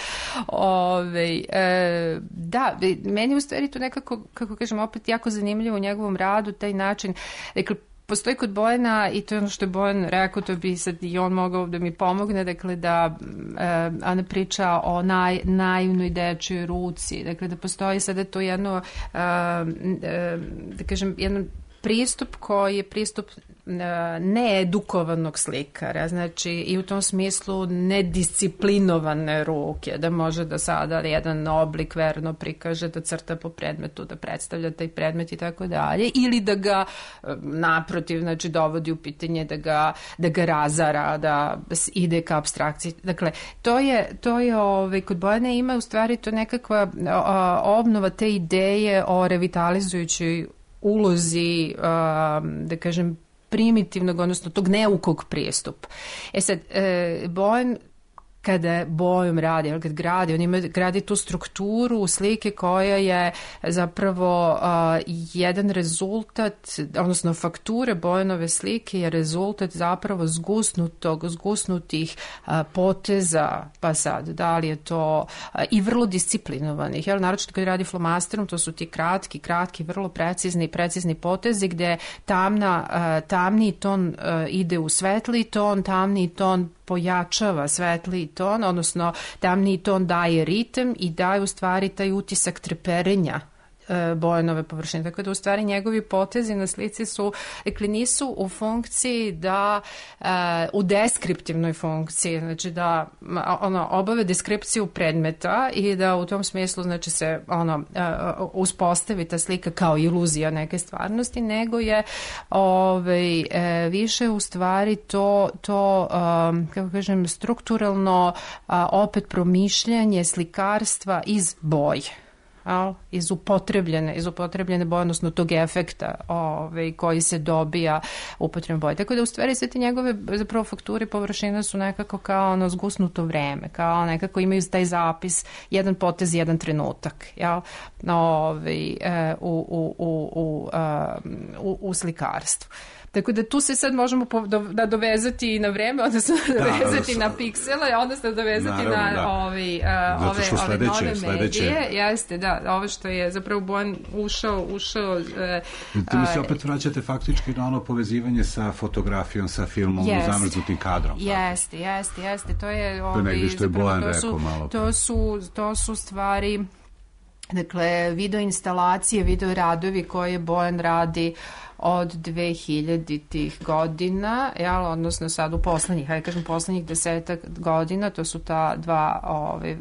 Ove, e, da, meni u stvari to nekako, kako kažem, opet jako zanimljivo u njegovom radu, taj način, dakle, postoji kod Bojana, i to je ono što je Bojan rekao, to bi sad i on mogao da mi pomogne, dakle da e, Ana priča o naj, naivnoj dečjoj ruci, dakle da postoji sada to jedno, e, e, da kažem, jedno pristup koji je pristup needukovanog slikara, znači i u tom smislu nedisciplinovane ruke, da može da sada jedan oblik verno prikaže, da crta po predmetu, da predstavlja taj predmet i tako dalje, ili da ga naprotiv, znači dovodi u pitanje da ga, da ga razara, da ide ka apstrakciji. Dakle, to je, to je ovaj, kod Bojana ima u stvari to nekakva obnova te ideje o revitalizujućoj ulozi, da kažem, primitivnog, odnosno tog neukog pristupa. E sad, e, Bojan kada bojom radi, kad gradi, on ima, gradi tu strukturu slike koja je zapravo uh, jedan rezultat, odnosno fakture Bojanove slike je rezultat zapravo zgusnutog, zgusnutih uh, poteza, pa sad, da li je to uh, i vrlo disciplinovanih, jel, naročito kad radi flomasterom, to su ti kratki, kratki, vrlo precizni, precizni potezi gde tamna, uh, tamni ton uh, ide u svetli ton, tamni ton pojačava svetli ton, odnosno tamni ton daje ritem i daje u stvari taj utisak treperenja e, Bojanove površine. Tako da u stvari njegovi potezi na slici su, dakle, nisu u funkciji da, e, u deskriptivnoj funkciji, znači da ono, obave deskripciju predmeta i da u tom smislu, znači, se ono, e, uspostavi ta slika kao iluzija neke stvarnosti, nego je ovaj, e, više u stvari to, to um, kako kažem, strukturalno a, opet promišljanje slikarstva iz boje. Al, iz upotrebljene, iz upotrebljene boje, odnosno tog efekta ovaj, koji se dobija upotrebom boje. Tako da u stvari sve te njegove zapravo fakture površina su nekako kao ono zgusnuto vreme, kao nekako imaju taj zapis, jedan potez, jedan trenutak, jel? Ovaj, u, u, u, u, u, u slikarstvu. Tako da tu se sad možemo da dovezati na vreme, odnosno dovezati na piksele, odnosno dovezati na da. ovi, uh, ove, sledeće, ove nove sledeće. medije. Jeste, da, ovo što je zapravo Bojan ušao, ušao... Uh, tu mi se opet vraćate faktički na ono povezivanje sa fotografijom, sa filmom, jest, zamrznutim kadrom. Jeste, jeste, jeste. To je... To je negdje što je Bojan rekao malo. To su, to su stvari... Dakle, video instalacije, video radovi koje Bojan radi od dve hiljaditih godina, jel, odnosno sad u poslednjih, hajde kažem poslednjih desetak godina, to su ta dva ove,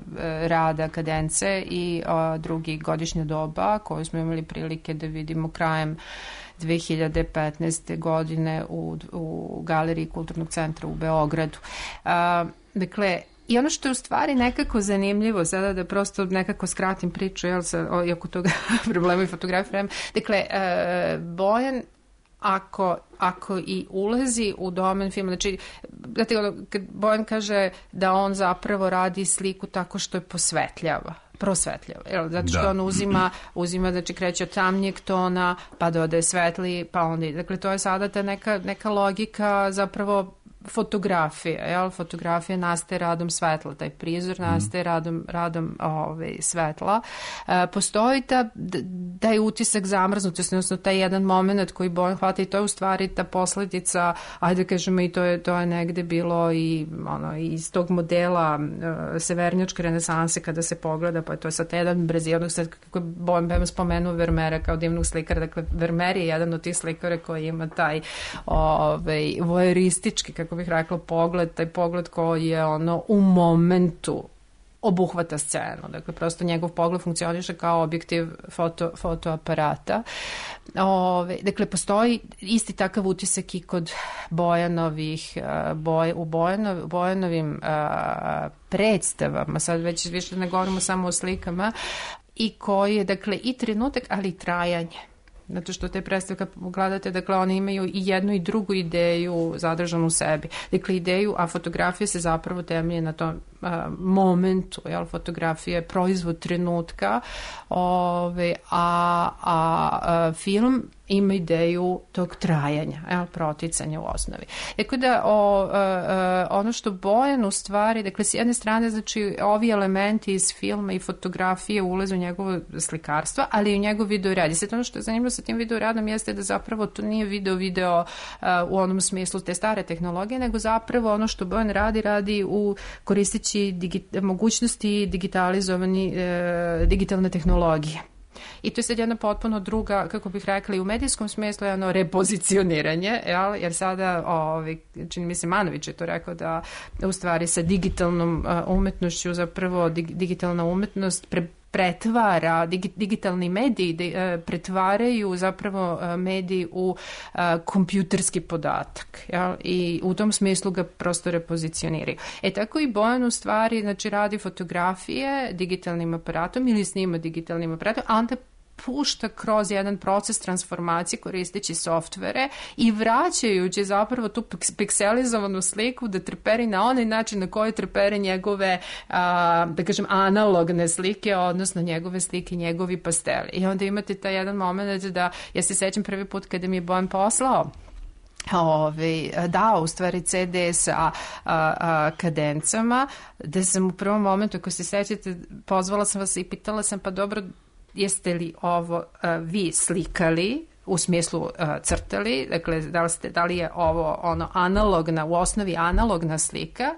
rada Kadence i o, drugi Godišnja doba, koju smo imali prilike da vidimo krajem dve hiljade petnaeste. godine u, u Galeriji Kulturnog centra u Beogradu. A, dakle, i ono što je u stvari nekako zanimljivo, sada da prosto nekako skratim priču, jel, sa, o, i oko toga problema i fotografije, dakle, e, Bojan, ako, ako i ulazi u domen filma, znači, znate, kad Bojan kaže da on zapravo radi sliku tako što je posvetljava, prosvetljava, jel, zato što da. on uzima, uzima, znači, kreće od tamnijeg tona, pa dodaje svetli, pa onda, dakle, to je sada ta neka, neka logika zapravo fotografija, jel? Fotografija nastaje radom svetla, taj prizor nastaje radom, radom ove, svetla. E, postoji ta, taj utisak zamrznutosti, odnosno taj jedan moment koji Bojan hvata i to je u stvari ta posledica, ajde kažemo i to je, to je negde bilo i ono, iz tog modela e, severnjačke renesanse kada se pogleda, pa to je sad jedan brezijadnog, sad kako je Bojan spomenuo Vermeera kao divnog slikara, dakle Vermeer je jedan od tih slikara koji ima taj ovaj, vojeuristički, kako bih rekla, pogled, taj pogled koji je ono u momentu obuhvata scenu. Dakle, prosto njegov pogled funkcioniše kao objektiv foto, fotoaparata. Ove, dakle, postoji isti takav utisak i kod Bojanovih, boj, u Bojanov, Bojanovim a, predstavama, sad već više ne govorimo samo o slikama, i koji je, dakle, i trenutak, ali i trajanje. Zato što te predstave, kad pogledate, dakle, one imaju i jednu i drugu ideju zadržanu u sebi. Dakle, ideju, a fotografija se zapravo temelje na tom a, momentu, jel, fotografija je proizvod trenutka, ove, a, a, a film ima ideju tog trajanja, jel, proticanja u osnovi. Tako da o, a, a, ono što Bojan u stvari, dakle, s jedne strane, znači, ovi elementi iz filma i fotografije ulaze u njegovo slikarstvo, ali i u njegov video rad. I sad ono što je zanimljivo sa tim video radom jeste da zapravo to nije video video a, u onom smislu te stare tehnologije, nego zapravo ono što Bojan radi, radi u koristeći digi, mogućnosti digitalizovani e, digitalne tehnologije. I to je sad jedna potpuno druga, kako bih rekla, i u medijskom smislu jedno repozicioniranje, jel? Jer sada, ovaj, čini mi se Manović je to rekao da u stvari sa digitalnom uh, umetnošću zapravo dig, digitalna umetnost pre, pretvara, dig, digitalni mediji de, uh, pretvaraju zapravo uh, mediji u uh, kompjuterski podatak, jel? I u tom smislu ga prosto repozicioniraju. E tako i Bojan u stvari, znači, radi fotografije digitalnim aparatom ili snima digitalnim aparatom, a onda pušta kroz jedan proces transformacije koristeći softvere i vraćajući zapravo tu pikselizovanu sliku da treperi na onaj način na koji trepere njegove, a, da kažem, analogne slike, odnosno njegove slike, njegovi pasteli. I onda imate taj jedan moment da, ja se sećam prvi put kada mi je Bojan poslao Ove, dao u stvari ce de sa a, a, kadencama, da sam u prvom momentu, ako se sećate, pozvala sam vas i pitala sam, pa dobro, jeste li ovo uh, vi slikali, u smislu uh, crtali, dakle, da li, ste, da li je ovo ono analogna, u osnovi analogna slika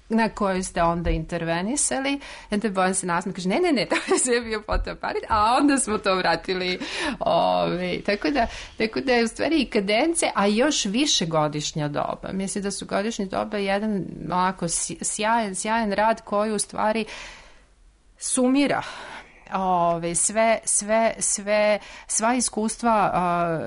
na kojoj ste onda intervenisali, onda Bojan se nasmije, kaže, ne, ne, ne, to je sve bio fotoaparat, a onda smo to vratili. Ove, tako, da, tako da je u stvari i Kadence, a još više Godišnja doba. Mislim da su Godišnje doba jedan onako sjajan, sjajan rad koji u stvari sumira Ove, sve, sve, sve, sva iskustva, a,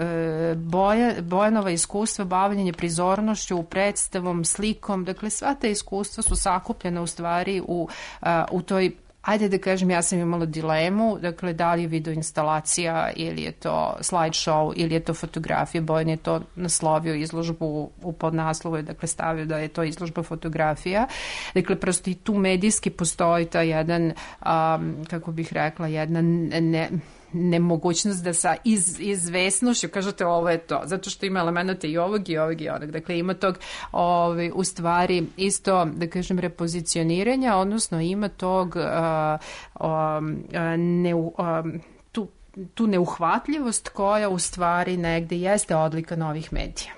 boja, Bojanova iskustva, bavljenje prizornošću, predstavom, slikom, dakle sva ta iskustva su sakupljena u stvari u, a, u toj, ajde da kažem, ja sam imala dilemu, dakle, da li je video instalacija ili je to slideshow ili je to fotografija. Bojan je to naslovio izložbu u podnaslovu, dakle, stavio da je to izložba fotografija. Dakle, prosto i tu medijski postoji ta jedan, um, kako bih rekla, jedna ne... nemogućnost da sa iz, izvesnošću kažete ovo je to, zato što ima elemenata i ovog i ovog i onog. Dakle, ima tog ovaj, u stvari isto, da kažem, repozicioniranja, odnosno ima tog uh, um, ne, um, tu, tu neuhvatljivost koja u stvari negde jeste odlika novih medija.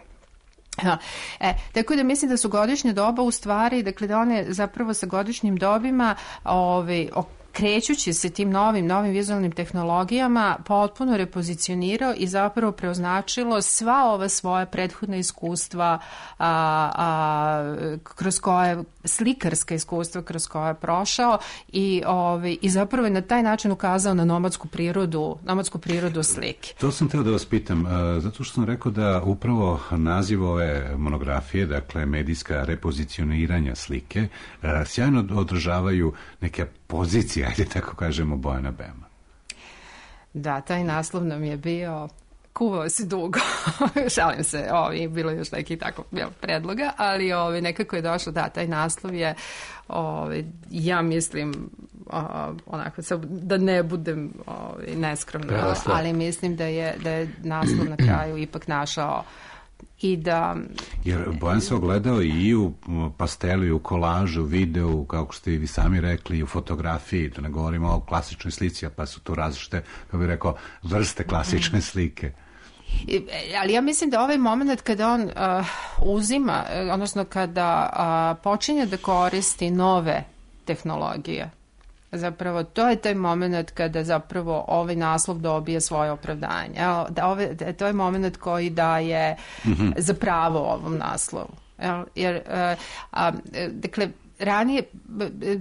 Ha, e, tako da mislim da su Godišnje doba u stvari, dakle da one zapravo sa Godišnjim dobima ovaj, krećući se tim novim, novim vizualnim tehnologijama potpuno repozicionirao i zapravo preoznačilo sva ova svoja prethodna iskustva a, a, kroz koje, slikarska iskustva kroz koje je prošao i, ove, i zapravo je na taj način ukazao na nomadsku prirodu, nomadsku prirodu slike. To sam teo da vas pitam, zato što sam rekao da upravo naziv ove monografije, dakle medijska repozicioniranja slike, sjajno odražavaju neke pozicije, ajde tako kažemo, Bojana Bema. Da, taj naslov nam je bio, kuvao se dugo, šalim se, ovi, bilo je još neki tako predloga, ali ovi, nekako je došlo, da, taj naslov je, ovi, ja mislim, o, onako, da ne budem ovi, neskromna, ali mislim da je, da je naslov na kraju ipak našao i da... Jer Bojan se ogledao i u pastelu, i u kolažu, videu, kako ste i vi sami rekli, i u fotografiji, da ne govorimo o klasičnoj slici, pa su tu različite, kako bih rekao, vrste klasične slike. Ali ja mislim da ovaj moment kada on uh, uzima, odnosno kada uh, počinje da koristi nove tehnologije, zapravo to je taj moment kada zapravo ovaj naslov dobije svoje opravdanje. Evo, da ove, da, to je moment koji daje mm-hmm. za pravo ovom naslovu. Evo, jer, uh, a, dakle, ranije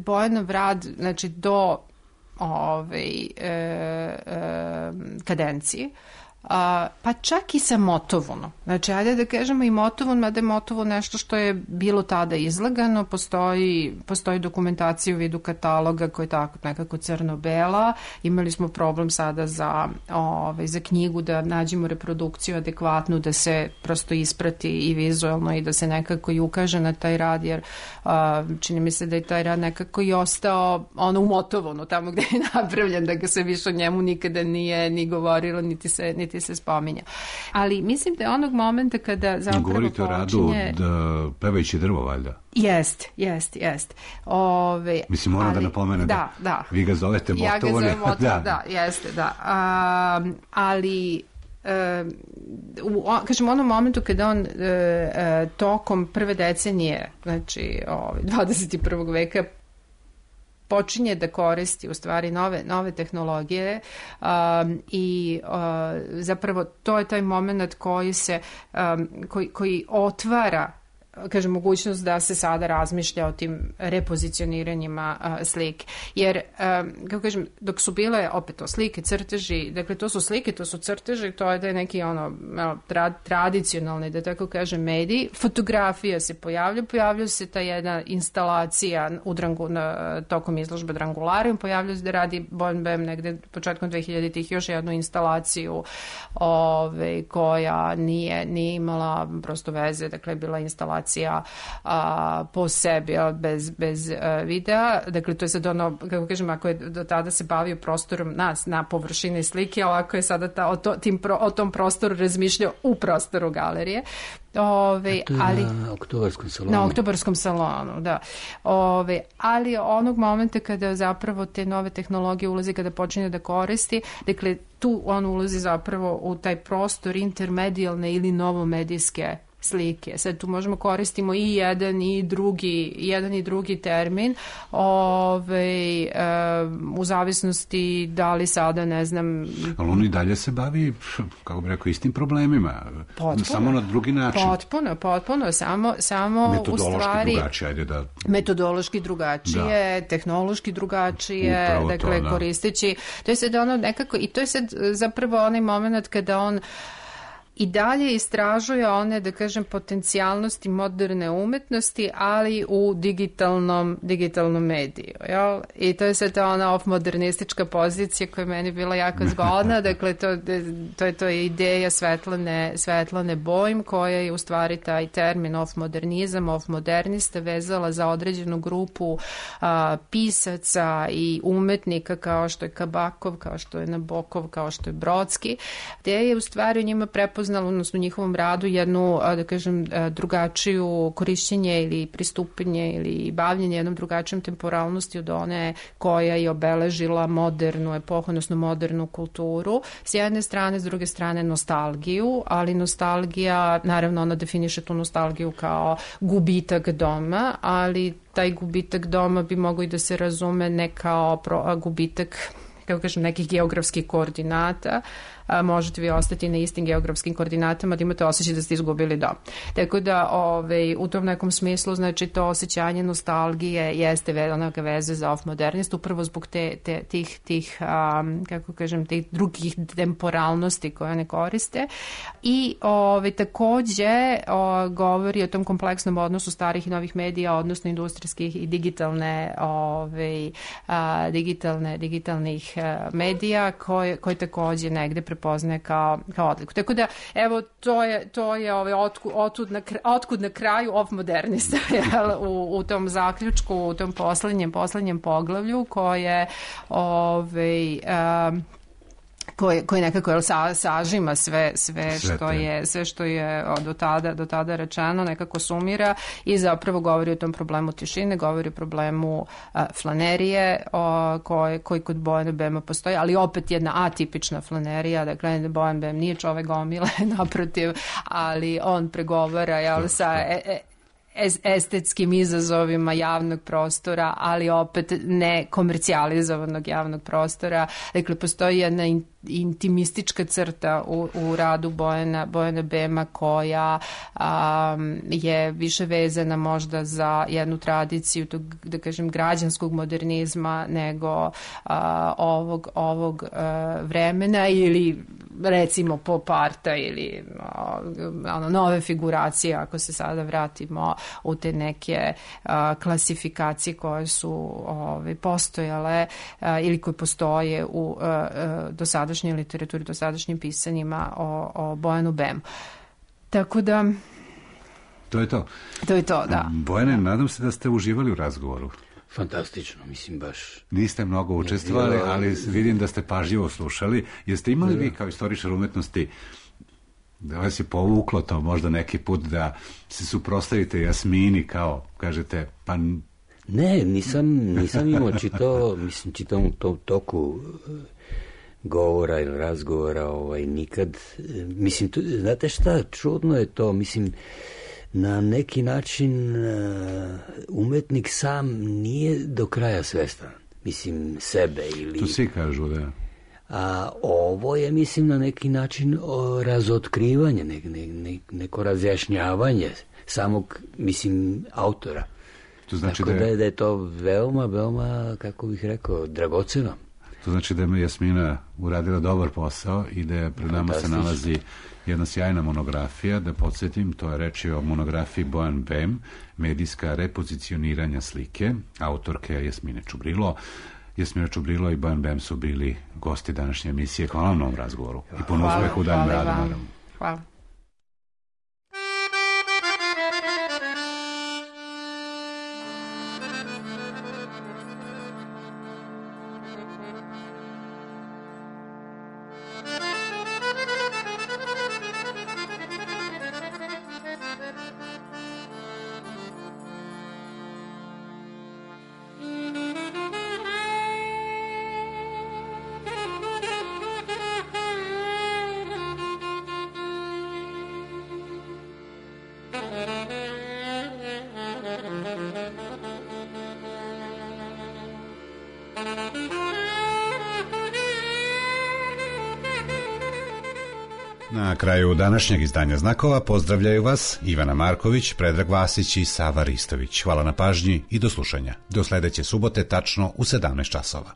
Bojanov rad, znači do ovaj, e, e, kadencije, A, pa čak i sa Motovunom. Znači, ajde da kažemo i Motovun, mada je Motovun nešto što je bilo tada izlagano, postoji, postoji dokumentacija u vidu kataloga koja je tako nekako crno-bela. Imali smo problem sada za, ovaj, za knjigu da nađemo reprodukciju adekvatnu, da se prosto isprati i vizualno i da se nekako i ukaže na taj rad, jer a, čini mi se da je taj rad nekako i ostao ono u Motovunu, tamo gde je napravljen, da ga se više o njemu nikada nije ni govorilo, niti se, niti se spominja. Ali mislim da je onog momenta kada zapravo govorite počinje... Govorite o radu da, pevajući drvo, valjda? Jest, jest, jest. Ove, mislim, moram ali, da napomenem da, da, da. Vi ga zovete Motovun. Ja ga zovem Motovun, da. da, jeste, da. A, ali... Uh, u, kažem, u onom momentu kada on uh, uh, tokom prve decenije, znači ovaj, dvadeset prvog veka, počinje da koristi u stvari nove, nove tehnologije um, i uh, zapravo to je taj moment koji se um, koji, koji otvara, kažem, mogućnost da se sada razmišlja o tim repozicioniranjima uh, slike. Jer, um, kako kažem, dok su bile opet to slike, crteži, dakle to su slike, to su crteži, to je da je neki ono tra, tradicionalni, da tako kažem, mediji. Fotografija se pojavlja, pojavlja se ta jedna instalacija u drangu, na, tokom izložbe Drangularium, pojavlja se da radi Bojan Bem negde početkom dvehiljaditih još jednu instalaciju ove, koja nije, nije imala prosto veze, dakle bila instalacija A, po sebi, bez, bez a, videa. Dakle, to je sad ono, kako kažem, ako je do tada se bavio prostorom nas, na površini slike, ali ako je sada ta, o, to, tim pro, o tom prostoru razmišljao u prostoru galerije. Ove, ali, na Oktobarskom salonu. Na Oktobarskom salonu, da. Ove, ali onog momenta kada zapravo te nove tehnologije ulazi, kada počinje da koristi, dakle, tu on ulazi zapravo u taj prostor intermedijalne ili novomedijske slike. Sad tu možemo koristimo i jedan i drugi, jedan i drugi termin, ove, e, u zavisnosti da li sada, ne znam... Ali on i dalje se bavi, kako bih rekao, istim problemima. Potpuno. Samo na drugi način. Potpuno, potpuno. Samo, samo u stvari... drugačije, ajde da... Metodološki drugačije, da. Tehnološki drugačije, upravo dakle, to, da. Koristeći... To je sad ono nekako... I to je sad zapravo onaj moment kada on i dalje istražuje one, da kažem, potencijalnosti moderne umetnosti, ali u digitalnom, digitalnom mediju. Jel? I to je sad ona off-modernistička pozicija koja je meni bila jako zgodna. Dakle, to, to, je, to je ideja Svetlane, Svetlane Bojm, koja je u stvari taj termin off-modernizam, off-modernista vezala za određenu grupu a, pisaca i umetnika kao što je Kabakov, kao što je Nabokov, kao što je Brodski, gde je u stvari u njima prepoznao prepoznala, odnosno u njihovom radu, jednu, da kažem, drugačiju korišćenje ili pristupanje ili bavljenje jednom drugačijom temporalnosti od one koja je obeležila modernu epohu, odnosno modernu kulturu. S jedne strane, s druge strane nostalgiju, ali nostalgija, naravno ona definiše tu nostalgiju kao gubitak doma, ali taj gubitak doma bi mogao i da se razume ne kao pro, gubitak, kako kažem, nekih geografskih koordinata. A, možete vi ostati na istim geografskim koordinatama da imate osjećaj da ste izgubili dom. Tako da ovaj, u tom nekom smislu, znači to osjećanje nostalgije jeste velika veze za off-modernist, upravo zbog te, te, tih, tih um, kako kažem, tih drugih temporalnosti koje one koriste. I ovaj, takođe o, govori o tom kompleksnom odnosu starih i novih medija, odnosno industrijskih i digitalne, ovaj, a, digitalne digitalnih a, medija koje, koje takođe negde prepoznaje kao, kao odliku. Tako da, evo, to je, to je ovaj, otkud, otkud, na, otkud na kraju off-modernista u, u tom zaključku, u tom poslednjem, poslednjem poglavlju koje ovaj, um, koji koji nekako jel, sa, sažima sve sve što je sve što je do tada do tada rečeno, nekako sumira i zapravo govori o tom problemu tišine, govori o problemu a, flanerije o, koji koji kod Bojana Bema postoji, ali opet jedna atipična flanerija, dakle Bojan Bem nije čovek gomile, naprotiv, ali on pregovara jel, sa e, e, estetskim izazovima javnog prostora, ali opet ne komercijalizovanog javnog prostora. Dakle, postoji jedna in, intimistička crta u, u radu Bojana, Bojana Bema koja um, je više vezana možda za jednu tradiciju tog, da kažem, građanskog modernizma nego uh, ovog, ovog uh, vremena ili recimo pop arta ili uh, ono, nove figuracije, ako se sada vratimo u te neke uh, klasifikacije koje su ove, postojale uh, ili koje postoje u uh, uh, dosadašnjoj literaturi, dosadašnjim pisanjima o, o Bojanu Bemu. Tako da... To je to. To je to, da. Bojane, nadam se da ste uživali u razgovoru. Fantastično, mislim baš. Niste mnogo učestvovali, ali vidim da ste pažljivo slušali. Jeste imali vi kao istoričar umetnosti da vas je povuklo to možda neki put da se suprotstavite Jasmini kao, kažete, pa... Ne, nisam, nisam imao čitao, mislim, čitao u tom toku govora ili razgovora, ovaj, nikad, mislim, tu, znate šta, čudno je to, mislim, na neki način umetnik sam nije do kraja svestan, mislim, sebe ili... To svi kažu, da. A ovo je, mislim, na neki način o, razotkrivanje, ne, ne, ne, neko razjašnjavanje samog, mislim, autora. To znači Tako da je... da je to veoma, veoma, kako bih rekao, dragoceno. To znači da je Jasmina uradila dobar posao i da je pred nama se nalazi jedna sjajna monografija. Da podsjetim, to je reč o monografiji Bojan Bem, medijska repozicioniranja slike, autorke Jasmine Čubrilo. Jasmina Čubrilo i Bojan Bem su bili gosti današnje emisije. Hvala vam na ovom razgovoru. I puno uspeha u daljem radu, naravno. Hvala. Na kraju današnjeg izdanja Znakova pozdravljaju vas Ivana Marković, Predrag Vasić i Sava Ristović. Hvala na pažnji i do slušanja. Do sledeće subote tačno u sedamnaest časova.